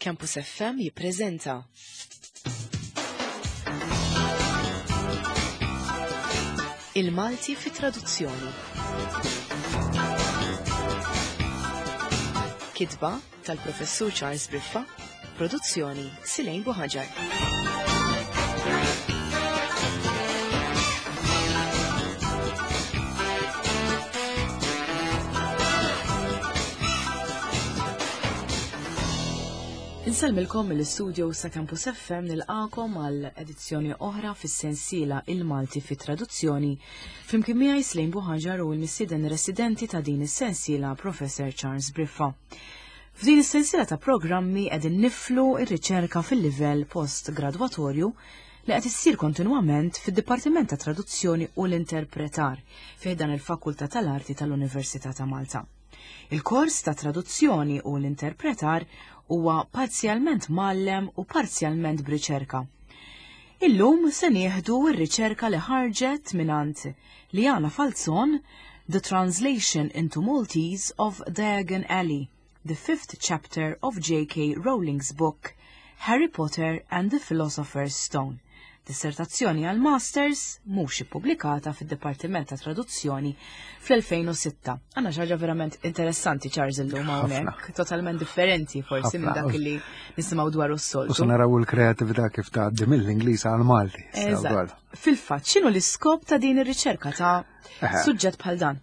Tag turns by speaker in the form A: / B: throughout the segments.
A: Campus FM jippreżenta. Il-Malti fi traduzzjoni. Kitba tal-Professur Charles Briffa, produzzjoni Silejn Buħaġar. Insellmilkom mill-istudio sa' Campus FM nilqakom għal edizzjoni oħra fis-sensiela Il-Malti fi traduzzjoni flimkien miegħi Slejn Buħaġar u l-mistieden residenti ta' din is-sensiela Professor Charles Briffa. F'din is-sensiela ta' programmi qegħdin niflu r-riċerka fil-livell post-gradwatorju li qed issir kontinwament fid-Dipartiment ta' Traduzzjoni u l-Interpretar fi ħdan il-Fakultà tal-Arti tal-Università ta' Malta. Il-kors ta' traduzzjoni u l-interpretar huwa parzjalment mgħallem u parzjalment b'riċerka. Illum se nieħdu r-riċerka li ħarġet mingħand Liana Falzon The Translation into Maltese of Diagon Alley, the fifth chapter of J.K. Rowling's book Harry Potter and the Philosopher's Stone. Dissertazzjoni għal Masters mhux ippubblikata fid-Dipartiment ta' Traduzzjoni fl-2006. Għandna xi ħaġa verament interessanti Charles illum hawnhekk, totalment differenti forsi minn dak li nisimgħu dwar s-soltu.
B: U se naraw il-kreatività kif tgħaddi mill-Ingliż għal Malti.
A: Fil-fatt, x'inhu l-iskop ta' din ir-riċerka ta' suġġett bħal dan?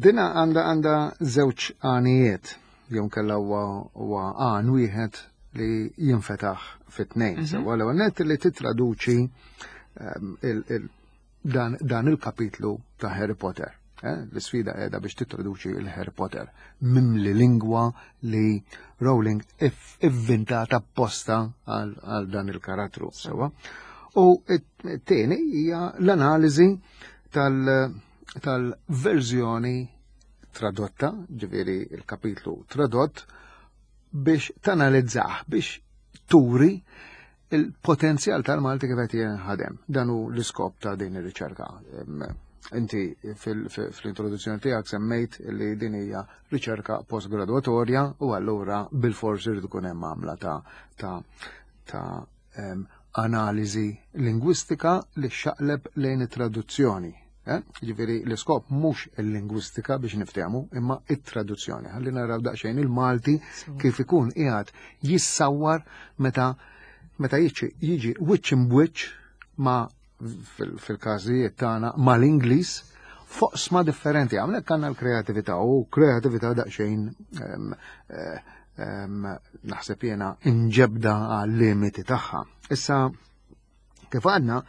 B: Dina għandha għandha żewġ għanijiet jew kella huwa għan wieħed li jinfetaħ fit-tnejn. Mhm. Sewa l net li titraduċi ehm, dan, dan il-kapitlu ta' Harry Potter. Eh? L-sfida qiegħda biex titraduċi il-Harry Potter mimli lingwa li Rowling ivvintata apposta għal dan il-karattru. Sewa. U t-tieni hija l-analiżi tal-verżjoni tradotta, ġifieri il-kapitlu tradott, biex tanalizzah, biex turi il-potenzjal tal-Malti kif qed jinħadem. Dan hu l-iskop ta' din ir-riċerka. Inti fl-introduzzjoni tiegħek semmejt li din hija riċerka postgraduatorja u allura bil-fors irid ikun hemm għamla ta' ta' ta' analiżi lingwistika li xaqleb lejn it-traduzzjoni. Eh? Ġifieri l-iskop mhux il-lingwistika biex niftehmu, imma it-traduzzjoni. Ħalli naraw daqsxejn il-Malti kif ikun qiegħed jissawwar meta meta jiġi jiġi wiċċ imbwiċċ ma' fil-każijiet tagħna mal-Ingliż fuq sma differenti. Hawnhekk għandna l-kreatività u kreatività daqsxejn eh, naħseb jiena inġebda għal limiti tagħha. Issa kif għadna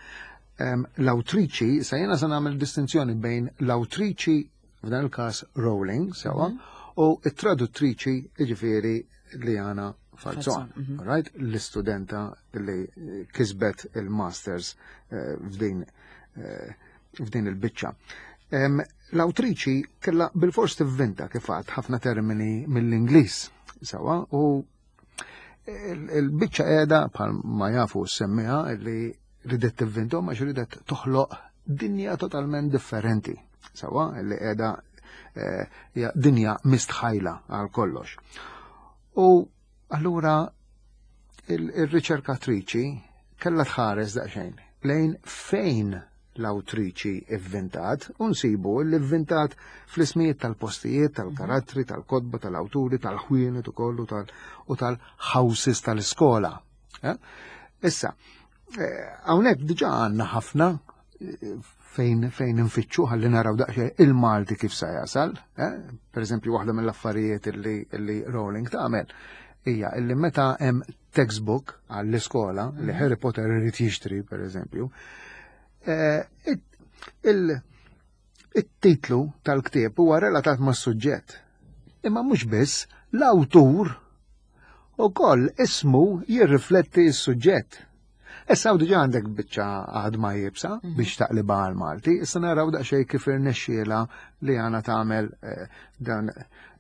B: l-awtriċi, sa jiena se nagħmel distinzjoni bejn l-awtriċi f'dan il-każ Rowling, sewa, mhm. u t-traduttriċi jiġifieri Liana Falzon, mhm. right? L-istudenta li kisbet il-masters eh, f'din eh, f'din il-biċċa. L-awtriċi kellha bil-fors tivvinta kif għad ħafna termini mill-Ingliż sewa u il-biċċa qiegħda bħal ma jafu semmiha li ridet tivvintom għax ridet toħloq dinja totalment differenti sewa li qiegħda eh, dinja mistħajla għal kollox. U allura il-riċerkatriċi kellha tħares daqsxejn lejn fejn l-awtriċi ivvintat u nsibu li vvintat fl-ismijiet tal-postijiet, tal-karattri, tal-kotba, tal-awturi, tal-ħwienet ukoll u tal-houses tal-iskola. Eh? Issa, eh, hawnhekk diġà għandna ħafna eh, fejn fejn infittxu ħalli naraw daqsxejn il-Malti kif sa jasal. Eh? Per eżempju, waħda mill-affarijiet li, li Rowling tagħmel hija illi meta hemm textbook għall-iskola li mhm. Harry Potter irid jixtri, per eżempju, eh, il-titlu tal-ktieb huwa relatat mas-suġġett. Imma mhux biss l-awtur ukoll ismu jirrifletti s-suġġett. Issa diġà għandek biċċa għadma jibsa mhm. biex taqliba għal Malti, issa naraw daqsxejn kif irnexxiela li għana tagħmel eh, dan,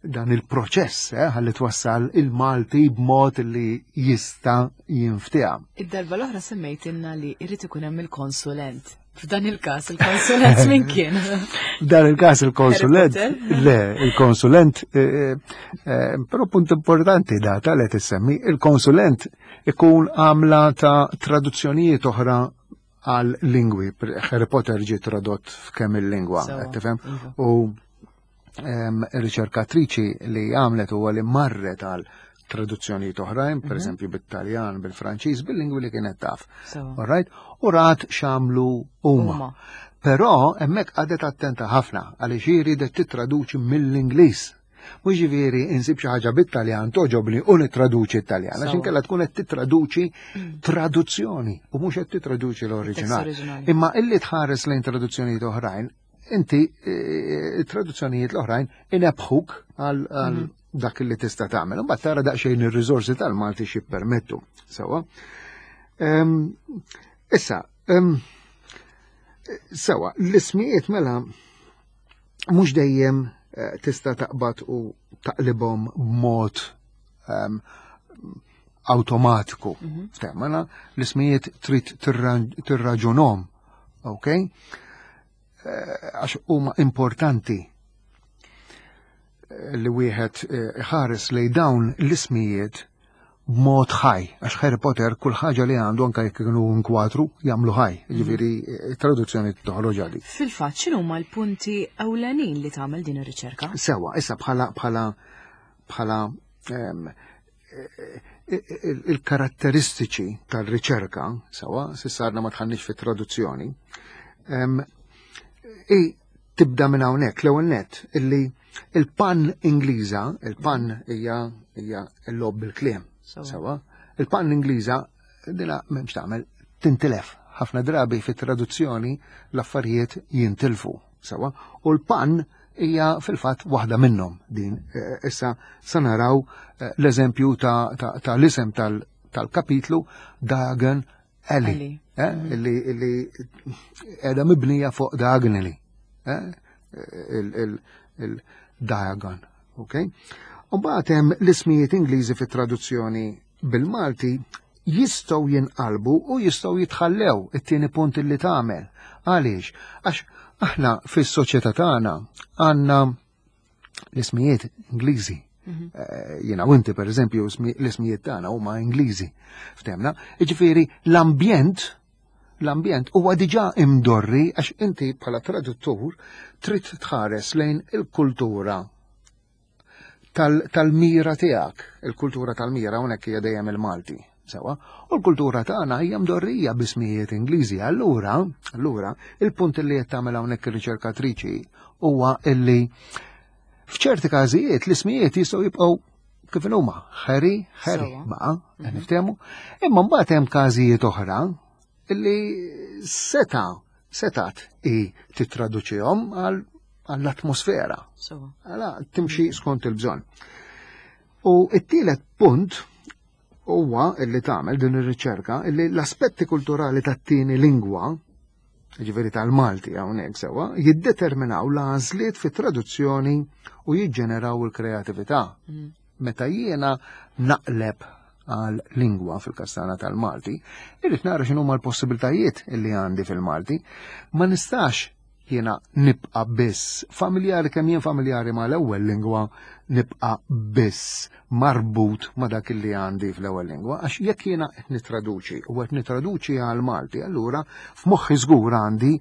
B: dan il-proċess eh, ħalli twassal il-Malti b'mod li jista' jinftieha.
A: Id-darba l-oħra semmejtilna li jrid ikun hemm il-konsulent. F'dan il-każ il-konsulent min kien?
B: F'dan il-każ il-konsulent, le, il-konsulent, eh, eh, eh, però punt importanti data li tissemmi, il-konsulent ikun għamla ta' traduzzjonijiet oħra għal lingwi. Harry Potter ġie tradott f'kemm il-lingwa, tifhem? Iva. U riċerkatriċi li għamlet huwa li marret għal traduzzjonijiet oħrajn, per mhm. eżempju bit-Taljan, bil-Franċiż, bil-lingwi li kienet taf. All right? U rat x'għamlu huma. Però hemmhekk qagħdet attenta ħafna għaliex hi riedet tittraduċi mill-Ingliż. Mhux ġifieri insib xi ħaġa bit-Taljan toġobni u nittraduċi t-Taljan, għax inkella tkun qed tittraduċi mm. traduzzjoni u mhux qed tittraduċi l-oriġinal. Imma illi tħares lejn traduzzjonijiet oħrajn, inti eh, traduzzjonijiet l-oħrajn inebħuk għal mhm. dak li tista' tagħmel. Imbagħad tara daqsxejn ir-riżorsi tal-Malti xi permettu. Sewa. Issa, sewa, l-ismijiet mela mhux dejjem eh, tista' taqbad u taqlibhom b'mod automatiku. Mhm. Mela l-ismijiet trid tirraġunhom, ok? Eh, għax huma importanti eh, li wieħed eh, ħares lej dawn l-ismijiet b'mod ħaj, għax Harry Potter kull ħaġa li għandu anke jekk kienu nkwatru jagħmlu ħaj, mhm. ġifieri traduzzjoni toħroġ għali.
A: Fil-fatt x'inhuma l-punti ewlenin li tagħmel din ir-riċerka?
B: Sewa, issa bħala bħala bħala ehm, il-karatteristiċi tal-riċerka, sewa, sissarna ma tħannix fit-traduzzjoni, i tibda minn hawnhekk l-ewwel nett illi il-pan Ingliża, il-pan hija hija l-lob bil-kliem, sewa, il-pan Ingliża dina m'hemmx tagħmel tintilef. Ħafna drabi fit-traduzzjoni l-affarijiet jintilfu, sewa, u l-pan hija fil-fatt waħda minnhom din. Eh, issa sa naraw eh, l-eżempju ta' l-isem tal-kapitlu Dagen Alley, eh, mhm. illi qiegħda mibnija fuq Diagonally, il-Diagon, ok? U mbagħad hemm l-ismijiet Ingliżi fit-traduzzjoni bil-Malti jistgħu jinqalbu u jistgħu jitħallew it-tieni punt li tagħmel. Għaliex? Għax aħna fis-soċjetà tagħna għandna l-ismijiet Ingliżi. Mhm. Eh, jiena u inti pereżempju l-ismijiet tagħna huma Ingliżi. Ftemna, jiġifieri l-ambjent l-ambjent huwa diġà imdorri għax inti bħala traduttur trid tħares lejn il-kultura tal-mira tiegħek. Il-kultura tal-mira hawnhekk hija dejjem il-Malti. Sewa, u l-kultura tagħna hija mdorrija b'ismijiet Ingliżi. Allura, allura, il-punt li qed tagħmel hawnhekk ir-riċerkatriċi huwa illi f'ċerti każijiet l-ismijiet jistgħu jibqgħu kif huma, Harry, Harry, baqa', mhm. niftehmu. Imma mbagħad hemm każijiet oħra illi seta' setat i titraduċihom għall-atmosfera. Għala timxi skont il-bżonn. U it-tielet punt huwa illi tagħmel din ir-riċerka illi l-aspetti kulturali tat-tieni lingwa, ġifieri tal-Malti hawnhekk sewwa, jiddeterminaw l-għażliet fit-traduzzjoni u jiġġeneraw il-kreatività. Mm. Meta jiena naqleb għal lingwa fil-kastana tal-Malti, irrid nara x'inhuma l-possibiltajiet li għandi fil-Malti. Ma nistax jiena nibqa' biss familjari kemm jien familjari ma l-ewwel lingwa nibqa' biss marbut ma dak li għandi fl-ewwel lingwa għax jekk jiena qed nitraduċi u qed nitraduċi għal Malti allura f'moħħi żgur għandi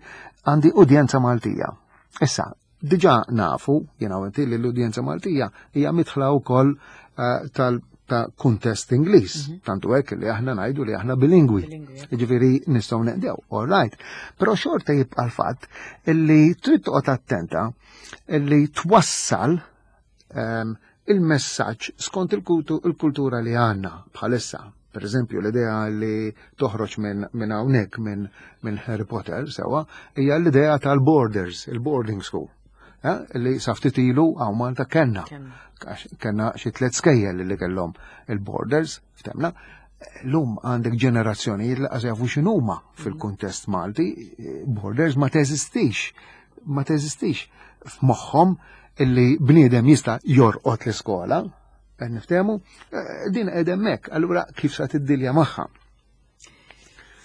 B: għandi udjenza Maltija. Issa, Diġà nafu, jiena u inti, li l-udjenza Maltija hija midħla wkoll eh, tal ta' kuntest Ingliż, mhm. tantu hekk li aħna ngħidu li aħna bilingwi. Jiġifieri nistgħu neqdew, all right. Però xorta jibqa' l-fatt illi trid toqgħod attenta illi twassal ehm, il-messaġġ skont il-kultura li għandna bħalissa. Per eżempju, l-idea li toħroġ minn min hawnhekk minn min Harry Potter sewa hija l-idea tal-borders, il-boarding school. Eh, li saftit ilu hawn Malta kenna. Kenna xi tliet skejjel li kellhom il-borders, ftemna. Lum għandek ġenerazzjonijiet li qas jafu x'inhuma fil-kuntest Malti, borders ma teżistix ma teżistix f'moħħhom illi bniedem jista' jorqod l-iskola, qed niftehmu, eh, din qed hemmhekk, allura kif sa tiddilja magħha?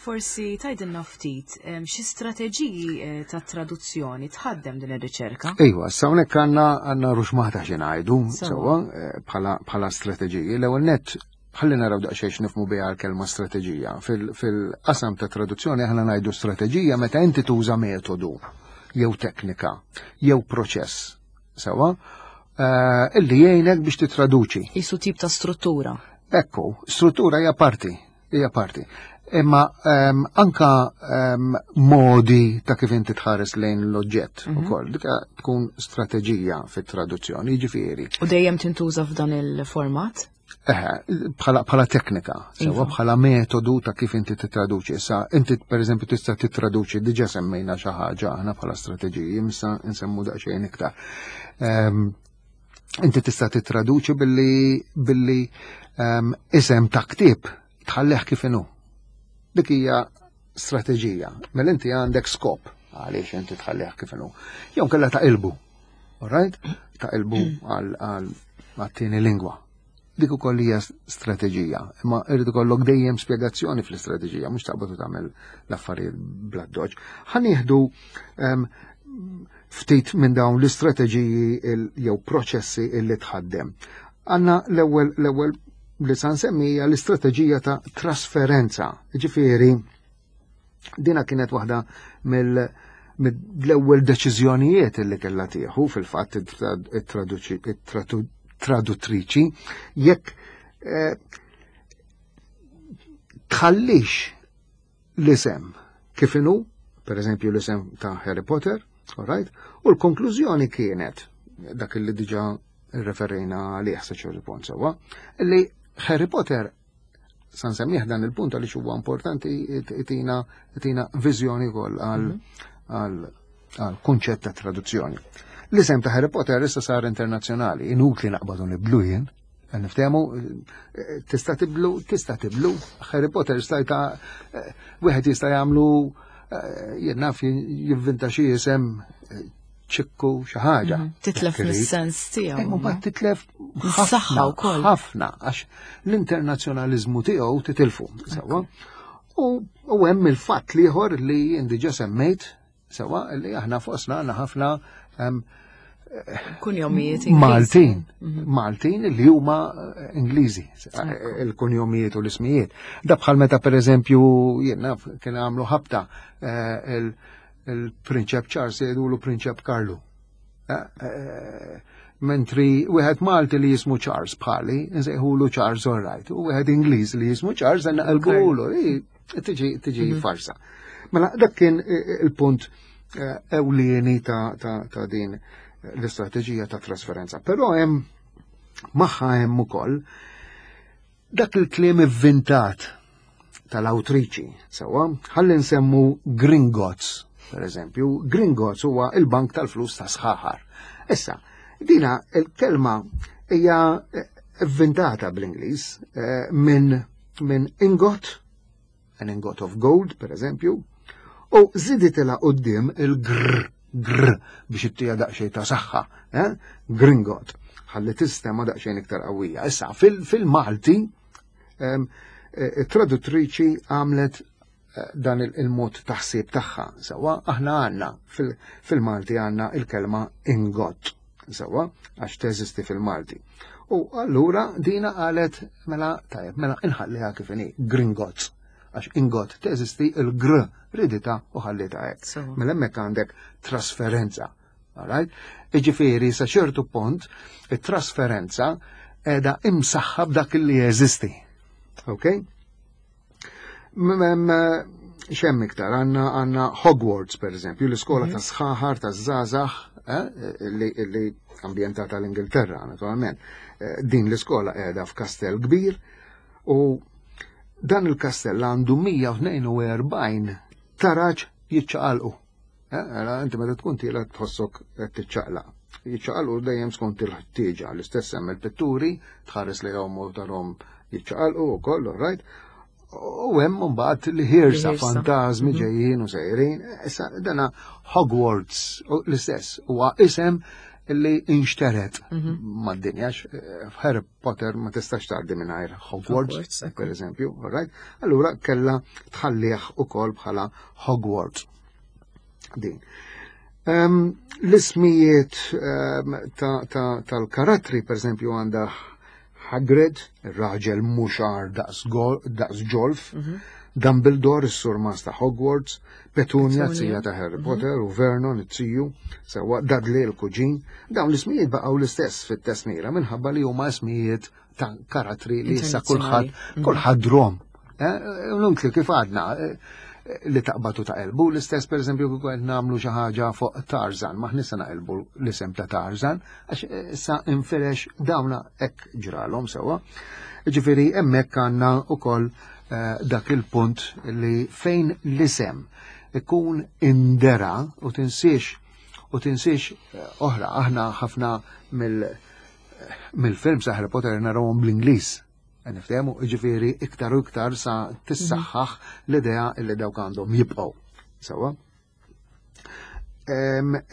A: Forsi tgħidilna ftit xi strateġiji eh, ta' traduzzjoni tħaddem din ir-riċerka?
B: Iva, sa hawnhekk għandna għandna ruxmata xi ngħidu sewwa eh, bħala strateġiji. L-ewwel nett ħalli naraw daqsxejn x'nifhmu biha l-kelma strateġija. Fil-qasam ta' traduzzjoni aħna ngħidu strateġija meta inti tuża metodu jew teknika jew proċess sewwa eh, illi jgħinek biex titraduċi.
A: Isu tip ta' struttura.
B: Ekku, struttura hija parti hija parti. Imma um, anka um, modi ta' kif inti tħares lejn l-oġġett mm -hmm. ukoll, dik tkun strateġija fit-traduzzjoni, jiġifieri.
A: U dejjem tintuża f'dan il-format?
B: Eħe, bħala teknika, sewa iva. bħala metodu ta' kif inti titraduċi. Issa, inti per eżempju tista' titraduċi, diġa semmejna xi ħaġa aħna bħala strateġiji, imsa nsemmu daqsxejn iktar. Um, Inti tista' titraduċi billi billi um, isem ta' ktieb tħallih kif inhu. Dik hija strateġija. Mela inti għandek skop għaliex inti tħallih kif inhu. Jew kellha taqilbu. Alright? Taqilbu għal għat-tieni lingwa. Dik ukoll hija strateġija, imma irid ikollok dejjem spjegazzjoni fl-istrateġija, mhux taqbad u tagħmel l-affarijiet bla doġ. Ħa nieħdu ehm, ftit minn dawn l-istrateġiji jew proċessi illi tħaddem. Għanna l-ewwel l-ewwel li sa nsemmija l-istrateġija ta' trasferenza. Ġifieri, dina kienet waħda mill mill-ewwel deċiżjonijiet li kellha tieħu fil-fatt it-traduttriċi jekk eh, tħallix l-isem kif inhu, per eżempju l-isem ta' Harry Potter, all right? U l-konklużjoni kienet dak li diġa referejna għalih sa ċertu punt sewwa, li Harry Potter sa nsemmih dan il-punt għaliex huwa importanti itina itina viżjoni wkoll għal mhm. għal kunċett ta' traduzzjoni. L-isem ta' Harry Potter issa sar internazzjonali, inutli naqbadu nibdlu jien, Niftehmu, tista' tiblu, tista' tiblu, Harry Potter stajta eh, wieħed jista' jagħmlu eh, jien naf jivvinta xi isem eh, ċikku xi ħaġa. Mhm.
A: Titlef mis-sens tiegħu.
B: Imma mbagħad titlef
A: ħafna wkoll.
B: Ħafna għax l-internazzjonaliżmu tiegħu titilfu, sewwa. U hemm il-fatt liħor li jien diġà semmejt Sewa li aħna fosna għandna ħafna
A: kunjomijiet
B: Maltin, mhm. Maltin li huma eh, Ingliżi, eh, il-kunjomijiet u l-ismijiet. Da bħal meta per eżempju jiena kien għamlu ħabta eh, il-Prinċep Charles jgħidulu Prinċep Karlu. Mentri wieħed Malti li jismu Charles bħali, nsejħulu Charles all right, u wieħed Ingliż li jismu Charles naqilbulu, tiġi tiġi mhm. farsa. Mela dak kien il-punt eh, ewlieni ta', ta, ta din l-istrateġija ta' trasferenza. Però hemm magħha hemm ukoll dak il-kliem ivvintat tal-awtriċi, sewwa, ħalli nsemmu Gringotts, per eżempju, Gringotts huwa il-bank tal-flus ta' sħaħar. Issa, dina il-kelma hija vvintata bl-Ingliż eh, minn min ingot, an ingot of gold, per eżempju, u ziditilha qudiem il-gr, gr, biex ittija daqsxejn ta' saħħa, eh? Gringot, ħalli tistema daqsxejn iktar qawwija. Issa, fil-Malti, eh, it-traduttriċi għamlet eh, dan il-mod taħsib tagħha. Sewa aħna għandna fil-Malti għandna il-kelma ingot. Sewa għax teżisti fil-Malti. U allura dina qalet mela tajjeb mela inħalliha kif inhi gringots għax ingot teżisti il-gr ridita u ħallita hekk. Mela hemmhekk għandek trasferenza. Alright? Iġifieri sa ċertu punt it-trasferenza qiegħda imsaħħa b'dak li jeżisti. Ok? Xem iktar, għanna għanna Hogwarts, per eżempju, l-iskola ta' mhm. sħaħar, ta' zazax, eh, li ambjentata l-Ingilterra, naturalment. Eh, din l-iskola qiegħda f'kastell kbir u dan il-kastell għandu 142 taraġ jiċċaqalqu. Eh, inti meta tkun tiela tħossok qed tiċċaqlaq. Jiċċaqalqu dejjem skont il-ħtieġa, l-istess hemm il-pitturi, tħares lejhom u tarhom jiċċaqalqu wkoll, right? U hemm mbagħad li ħirsa fantażmi mhm. ġejjin u sejrin. Issa dana Hogwarts l-istess huwa isem li inxteret mad-dinja, f'Harry Potter ma tistax tgħaddi mingħajr Hogwarts, per eżempju, right? Allura kellha tħallih ukoll bħala Hogwarts. Din. L-ismijiet tal-karattri, per eżempju, għandha Hagrid, ir-raġel muxar daqs ġolf, Dumbledore, is-surmas ta' Hogwarts, Petunia, zija ta' Harry Potter, u Vernon, it-tiju, sewwa Dudley, il-kuġin. Dawn l-ismijiet baqgħu l-istess fit-tesmira minħabba li huma ismijiet ta' karattri li issa kulħadd kulħadd drom. Inutli kif għadna li taqbatu ta' elbu, l-istess per eżempju kieku qed nagħmlu xi ħaġa fuq Tarzan, ma ħnissa naqilbu l-isem ta' Tarzan, għax issa infirex dawna hekk ġralhom sewwa. Ġifieri hemmhekk għandna wkoll dak il-punt li fejn l-isem ikun indera u tinsiex u tinsiex oħra, aħna ħafna mill-film sa' Harry Potter narawhom bl-Ingliż. Niftehmu, ġifieri iktar u iktar sa tissaħħaħ l-idea li dawk għandhom jibqgħu. Sewwa?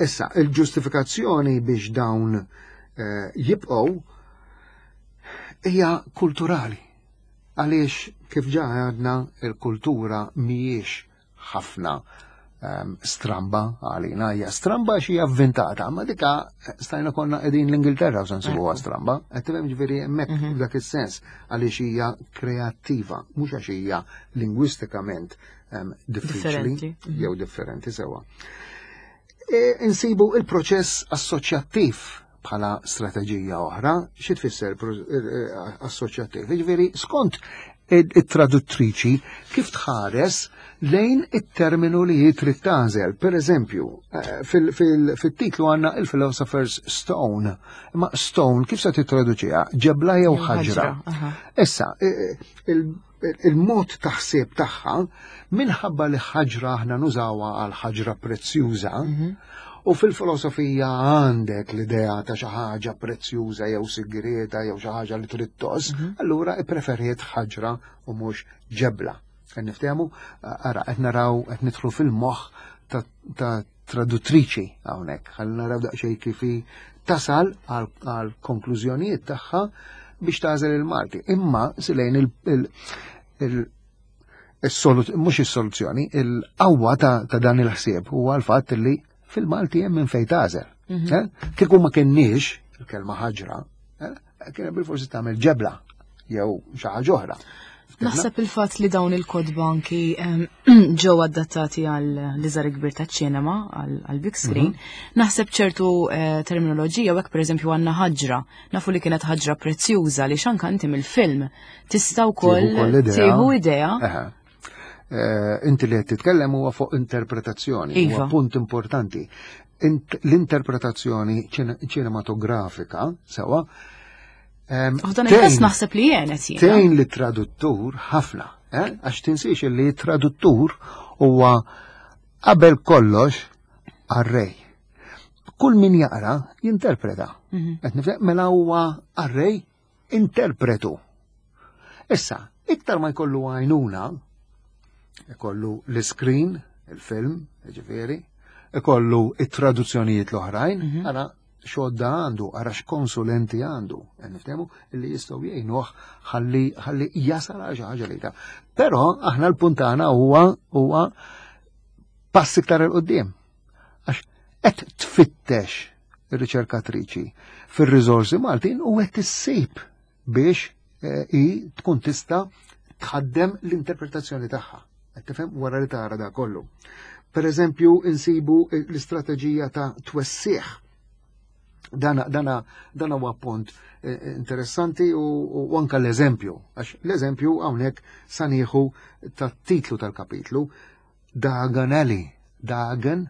B: Issa, il-ġustifikazzjoni biex dawn jibqgħu hija kulturali. Għaliex kif ġa għadna il-kultura mhijiex ħafna stramba għalina, hija stramba xi avventata, ma dika stajna konna qegħdin l-Ingilterra u se nsibuha stramba, qed tifhem ġifieri hemmhekk f'dak is-sens għaliex hija kreattiva, mhux għax hija lingwistikament diffiċli jew differenti sewwa. Insibu il-proċess assoċjattiv bħala strateġija oħra, xi tfisser assoċjattiv? Jiġifieri skont it-traduttriċi kif tħares lejn it-terminu li hi trid tagħżel. Per eżempju, fit-titlu għandna il-Philosopher's Stone. Ma stone kif se tittraduċiha? Ġebla jew ħaġra? Issa, il-mod ta' ħsieb tagħha minħabba li ħaġra aħna nużawha għal ħaġra prezzjuża, u fil-filosofija għandek l-idea ta' xi ħaġa prezzjuża jew sigrieta jew xi ħaġa li trid toss, allura ippreferiet ħaġra u mhux ġebla. Qed niftehmu, ara qed naraw qed nidħlu fil-moħħ ta' traduttriċi hawnhekk, ħalli naraw daqsxejn kif hi tasal għal konklużjonijiet tagħha biex tagħżel il-Malti. Imma silejn mhux is-soluzzjoni, il-qawwa ta' dan il-ħsieb huwa l-fatt li fil-Malti hemm minn fejn tagħżel. Kieku ma kenniex il-kelma ħaġra, kien bil-forsi tagħmel ġebla jew xi ħaġa oħra.
A: Naħseb il-fatt li dawn il-kotba anki ġew adattati għal l-iżgħar kbir taċ-ċinema, għal big screen, naħseb ċertu terminoloġija, u hekk pereżempju għandna ħaġra, nafu li kienet ħaġra prezzjuża li xanka inti mill-film tista' wkoll tieħu idea.
B: Inti li qed titkellem huwa fuq interpretazzjoni, huwa punt importanti. L-interpretazzjoni ċinematografika, sewa,
A: U dan il-każ naħseb li jenet jiena.
B: Tgħin li traduttur ħafna, għax tinsiex li traduttur huwa qabel kollox qarrej. Kull min jaqra jinterpreta. Qed nifhem mela huwa qarrej interpretu. Issa, iktar ma jkollu għajnuna, ikollu l-screen, il-film, ġifieri, ikollu it-traduzzjonijiet l-oħrajn, ara xodda għandu, ara x'konsulenti għandu, niftehmu li jistgħu jgħinuh ħalli jasal għal xi ħaġa li ta'. Però aħna l-punt tagħna huwa pass iktar 'il quddiem. Għax qed tfittex ir-riċerkatriċi fir-riżorsi Maltin u qed issib biex hi tkun tista' tħaddem l-interpretazzjoni tagħha. Qed tifhem wara li tara da kollu. Per eżempju, insibu l-istrateġija ta' twessieħ. Dana huwa punt interessanti u anka l-eżempju, għax l-eżempju hawnhekk sa nieħu tat-titlu tal-kapitlu, Diagon Alley, Diagon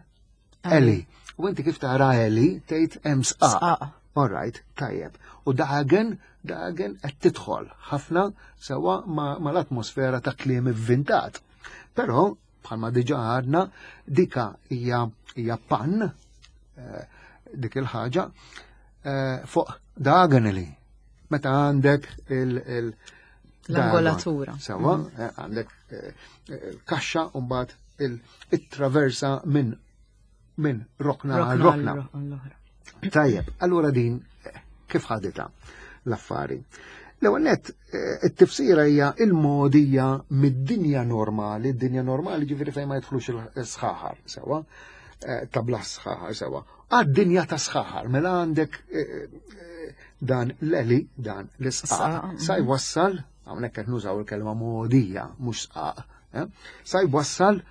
B: Alley. U inti kif tara Alley tgħid hemm sqaq.
A: Sqaq.
B: All right, tajjeb. U Diagon qed tidħol ħafna sewa mal-atmosfera ta' kliem ivvintat. Però bħalma diġà għadna, dika hija pan dik il-ħaġa fuq diagonally. Meta għandek il
A: L-angolatura.
B: Sewa, għandek kaxxa u mbagħad it-traversa minn rokna għal
A: Rokna
B: rokna.
A: għal oħra.
B: Tajjeb, allura din kif ħadita l-affari? L-ewwel nett it-tifsira hija il-mogħdija mid-dinja normali, id-dinja normali ġifieri fejn ma jidħlux il-sħaħar sewwa, ta' bla sħaħar sewwa, għad-dinja ta' sħaħar, mela għandek dan l-eli, dan l-isqaq, sa jwassal, hawnhekk qed nużaw il-kelma mogħdija, mhux sqaq, sa jwassal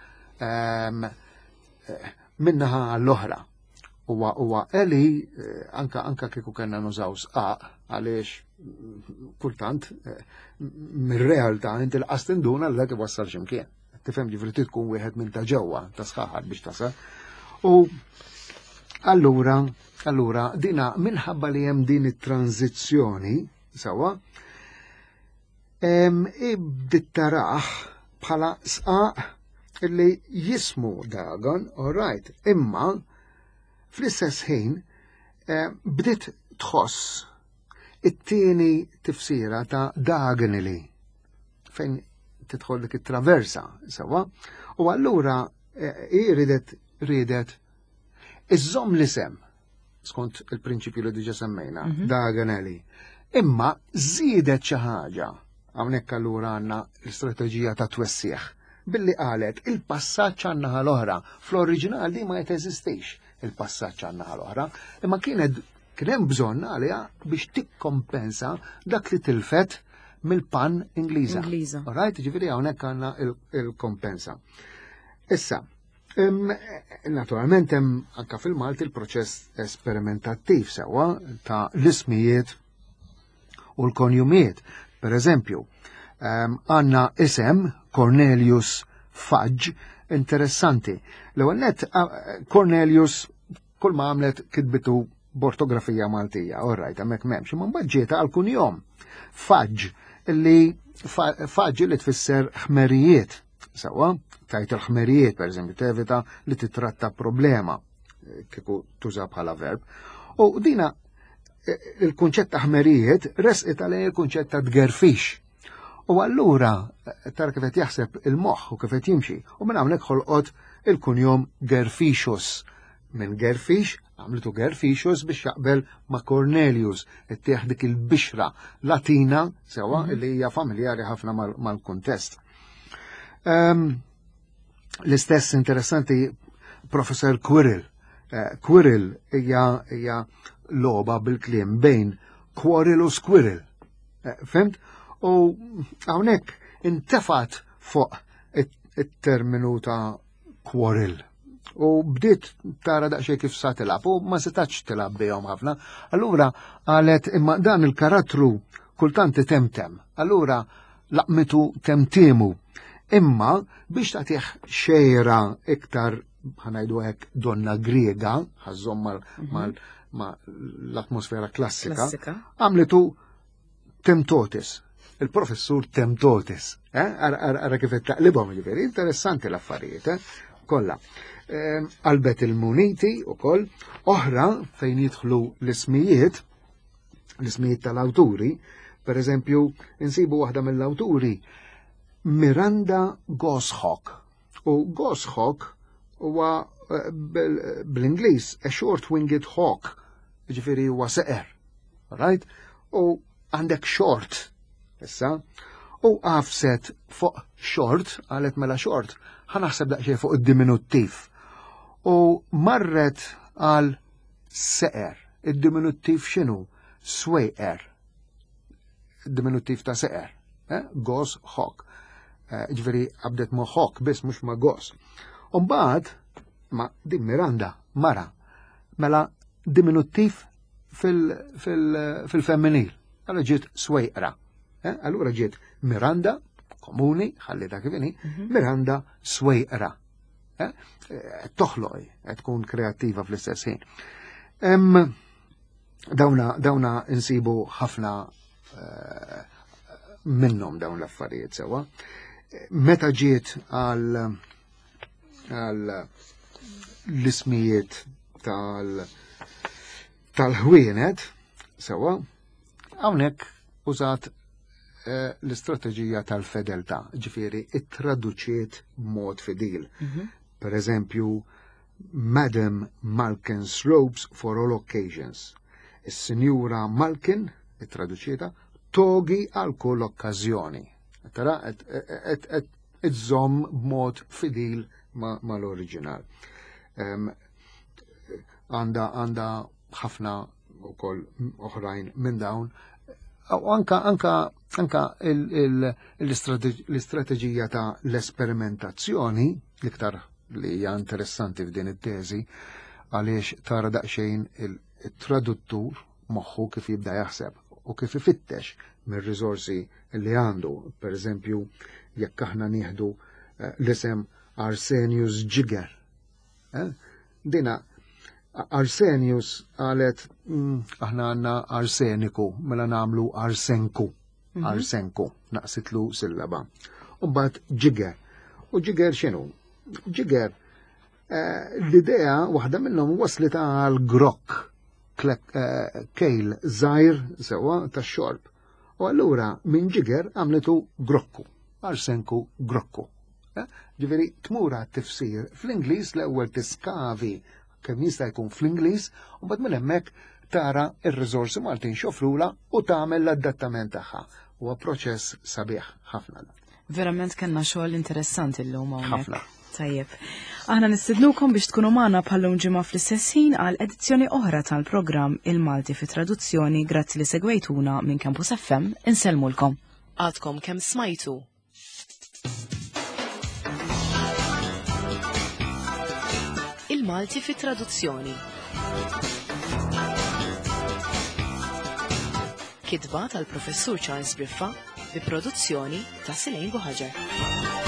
B: min-naħa għall-oħra. Huwa huwa eli anka anka kieku kellna nużaw sqaq għaliex kultant mir-realtà inti l-qas tinduna li dak iwassal x'imkien. Tifhem ġifieri trid tkun wieħed minn ta' ġewwa ta' sħaħar biex tasal. U allura allura dina minħabba li hemm din it-tranzizzjoni sewwa Bdiet tarah bħala sqaq li jismu Dagon, all right, imma fl-istess ħin bdiet tħoss it-tieni tifsira ta' Dagonili fejn tidħol dik it-traversa sewwa, u allura hi ridet riedet iżżomm l-isem skont il-prinċipju li diġa semmejna, Diagonally. Imma żiedet xi ħaġa. Hawnhekk allura għandna l-istrateġija ta' twessieħ. Billi qalet il-passaġġ għan-naħa l-oħra. Fl-oriġinal di ma jeżistix il-passaġġ għan-naħa l-oħra, imma kienet kien hemm bżonn għaliha biex tikkompensa dak li tilfet mill-pan Ingliża.
A: Ingliża.
B: Right, ġifieri hawnhekk għandna il-kompensa. Issa, Naturalment hemm anka fil-Malti il-proċess esperimentattiv sewwa ta' l-ismijiet u l-konjumijiet. Per eżempju, għandna isem Cornelius Fudge interessanti. L-ewwel nett Cornelius kull ma għamlet kitbitu b'ortografija Maltija, all right, hemmhekk m'hemmx, imma mbagħad ġieta għal kunjom. Fudge li Fudge li tfisser ħmerijiet. Sewwa, tajt il-ħmerijiet, per eżempju, tevita li titratta problema kieku tuża bħala verb. U dina il-kunċett ta' ħmerijiet resqet għalej il-kunċett ta' tgerfix. U allura tara kif qed jaħseb il-moħħ u kif qed jimxi. U minn hawnhekk ħolqot il-kunjom Gerfixus. Minn Gerfix għamlitu Gerfixus biex jaqbel ma' Cornelius, ittieħ dik il-bixra Latina sewwa li hija familjari ħafna mal-kuntest. L-istess interessanti Professor Quirrell. Quirrell hija logħba bil-kliem bejn quarrel u squirrel. Fimt? U hawnhekk intefat fuq it-terminu ta' quarrel. U bdiet tara daqsxejn kif sa tilgħab u ma setax tilgħab bihom ħafna. Allura qalet imma dan il-karattru kultant itemtem. Allura laqmitu temtimu. Imma biex tagħtih xejra iktar ħanajdu hekk donna Griega, ħażhom ma l-atmosfera klassika, għamlitu Temtotis, il-professur Temtotis. Ara kif qed taqlibhom ġifieri, interessanti l-affarijiet, kollha. Qalbet il-muniti wkoll, oħra fejn jidħlu l-ismijiet, l-ismijiet tal-awturi, per eżempju, insibu waħda mill-awturi Miranda Goshawk. U Goshawk huwa bl-Ingliż a short-winged hawk, ġifieri huwa seqer. Right? U għandek short, issa, u għafset fuq short, qalet mela short, ħanaħseb daqsxejn fuq id-diminuttiv. U marret għal seqer. Id-diminuttiv x'inhu? Swejqer. Diminuttiv ta' seqer. Gos hawk. Ġifieri qabdet ma' hawk biss mhux ma' gos. U mbagħad ma' din Miranda, mara, mela diminuttiv fil-femminil. Allura ġiet swejqra. Allura ġiet Miranda, komuni, ħalli dak kif inhi, Miranda swejqra. Toħloq, tkun kreattiva fl-istess ħin. Dawna insibu ħafna minnhom dawn l-affarijiet sewwa. Meta ġiet għal l-ismijiet tal-ħwienet sewwa, hawnhekk użat l-istrateġija tal-fedeltà, ġifieri ittraduċiet b'mod fidil. Per eżempju, Madam Malkin's Robes for All Occasions. Is-Sinjura Malkin, ittraduċietha, togi għal kull okkażjoni. Tara, qed iżżomm b'mod fidil mal-oriġinal. Għanda għanda ħafna ukoll oħrajn minn dawn. U anka anka anka l-istrateġija ta' l-esperimentazzjoni l-iktar li hija interessanti f'din it-teżi għaliex tara daqsxejn il-traduttur moħħu kif jibda jaħseb u kif ifittex mir-riżorsi li għandu. Per eżempju, jekk aħna nieħdu eh, l-isem Arsenius Ġiger. Eh? Dina Arsenius qalet aħna għandna arseniku, mela nagħmlu arsenku. Mhm. Arsenku, naqsitlu sillaba. U mbagħad ġiger. U ġiger x'inhu? Ġiger eh, l-idea waħda minnhom waslet għal grokk eh, kejl żgħir sewwa tax-xorb. U allura minn ġiger għamlitu grokku, arsenku grokku. Eh, ġifieri tmur tifsir fl-Ingliż l-ewwel tiskavi kemm jista' jkun fl-Ingliż u mbagħad minn hemmhekk tara r-riżorsi Maltin xofrula u tagħmel l-adattament tagħha. Huwa proċess sabiħ ħafna.
A: Verament kellna xogħol interessanti llum hawnhekk.
B: Ħafna.
A: Tajjeb. Aħna nistidnukom biex tkunu magħna bħallum ġimgħa fl-istess ħin għal edizzjoni oħra tal-programm Il-Malti fi Traduzzjoni grazzi li segwejtuna minn Campus FM insellmulkom. Għadkom kemm smajtu Il-Malti fi Traduzzjoni. Kitba tal-Professur Charles Briffa bi produzzjoni ta' Silejn Buħaġar.